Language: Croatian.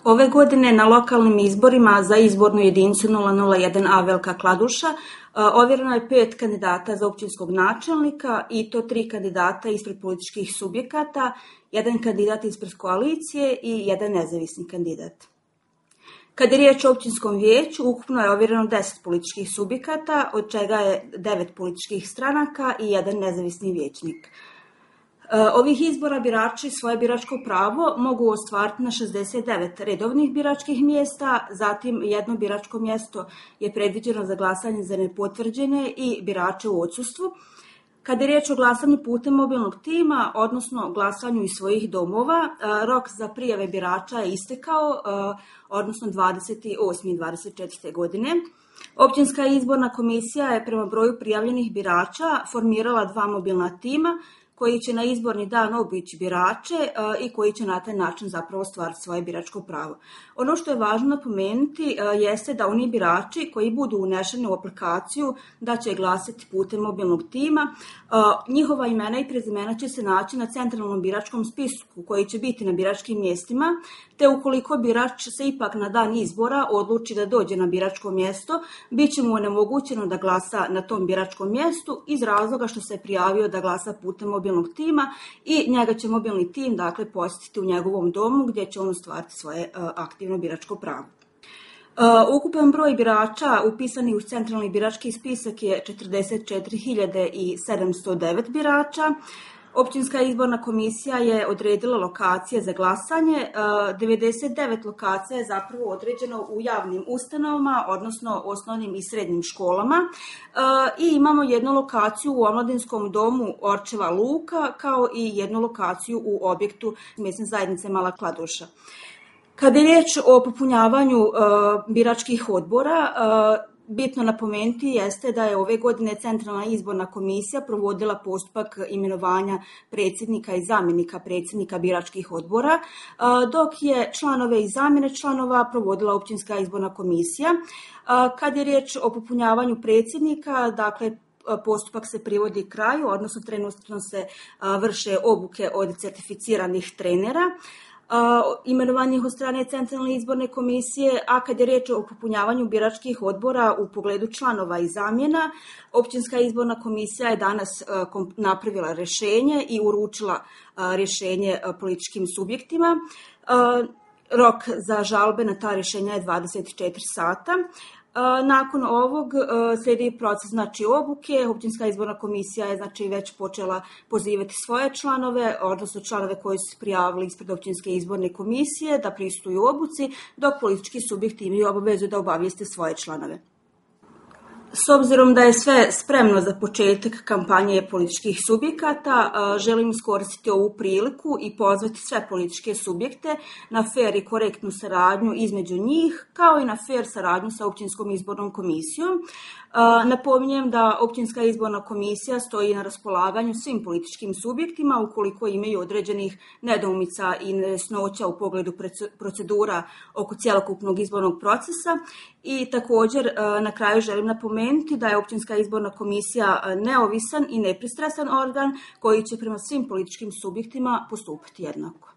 Ove godine na lokalnim izborima za izbornu jedinicu 001A Velika Kladuša ovjereno je 5 kandidata za općinskog načelnika i to 3 kandidata ispred političkih subjekata, 1 kandidat ispred koalicije i 1 nezavisni kandidat. Kad je riječ o općinskom vijeću, ukupno je ovjereno 10 političkih subjekata, od čega je 9 političkih stranaka i 1 nezavisni vijećnik. Ovih izbora birači svoje biračko pravo mogu ostvariti na 69 redovnih biračkih mjesta, zatim jedno biračko mjesto je predviđeno za glasanje za nepotvrđene i birače u odsustvu. Kad je riječ o glasanju putem mobilnog tima, odnosno glasanju iz svojih domova, rok za prijave birača je istekao, odnosno 28.24. godine. Općinska izborna komisija je prema broju prijavljenih birača formirala 2 mobilna tima koji će na izborni dan obići birače i koji će na taj način zapravo ostvariti svoje biračko pravo. Ono što je važno napomenuti jeste da oni birači koji budu unešeni u aplikaciju da će glasati putem mobilnog tima, njihova imena i prezimena će se naći na centralnom biračkom spisku koji će biti na biračkim mjestima, te ukoliko birač se ipak na dan izbora odluči da dođe na biračko mjesto, bit će mu onemogućeno da glasa na tom biračkom mjestu iz razloga što se je prijavio da glasa putem mobilnog tima i njega će mobilni tim posjetiti u njegovom domu gdje će on ostvariti svoje aktivno biračko pravo. Ukupan broj birača upisanih u centralni birački spisak je 44.709 birača. Općinska izborna komisija je odredila lokacije za glasanje. 99 lokacija je zapravo određeno u javnim ustanovama, odnosno osnovnim i srednjim školama. I imamo jednu lokaciju u omladinskom domu Orčeva Luka, kao i jednu lokaciju u objektu mjesne zajednice Mala Kladuša. Kada je riječ o popunjavanju biračkih odbora, bitno napomenuti jeste da je ove godine Centralna izborna komisija provodila postupak imenovanja predsjednika i zamjenika predsjednika biračkih odbora, dok je članove i zamjene članova provodila Općinska izborna komisija. Kad je riječ o popunjavanju predsjednika, dakle, postupak se privodi kraju, odnosno trenutno se vrše obuke od certificiranih trenera, imenovanih od strane Centralne izborne komisije, a kad je riječ o popunjavanju biračkih odbora u pogledu članova i zamjena, Općinska izborna komisija je danas napravila rješenje i uručila rješenje političkim subjektima. Rok za žalbe na ta rješenja je 24 sata. Nakon ovog slijedi proces obuke. Općinska izborna komisija je već počela pozivati svoje članove, odnosno članove koji su se prijavili ispred Općinske izborne komisije da pristuju obuci, dok politički subjekti imaju obavezu da obavijeste svoje članove. S obzirom da je sve spremno za početak kampanje političkih subjekata, želim iskoristiti ovu priliku i pozvati sve političke subjekte na fer i korektnu saradnju između njih, kao i na fer saradnju sa Općinskom izbornom komisijom. Napominjem da Općinska izborna komisija stoji na raspolaganju svim političkim subjektima ukoliko imaju određenih nedoumica i nejasnoća u pogledu procedura oko cjelokupnog izbornog procesa. I također na kraju želim napomenuti da je Općinska izborna komisija neovisan i nepristrasan organ koji će prema svim političkim subjektima postupati jednako.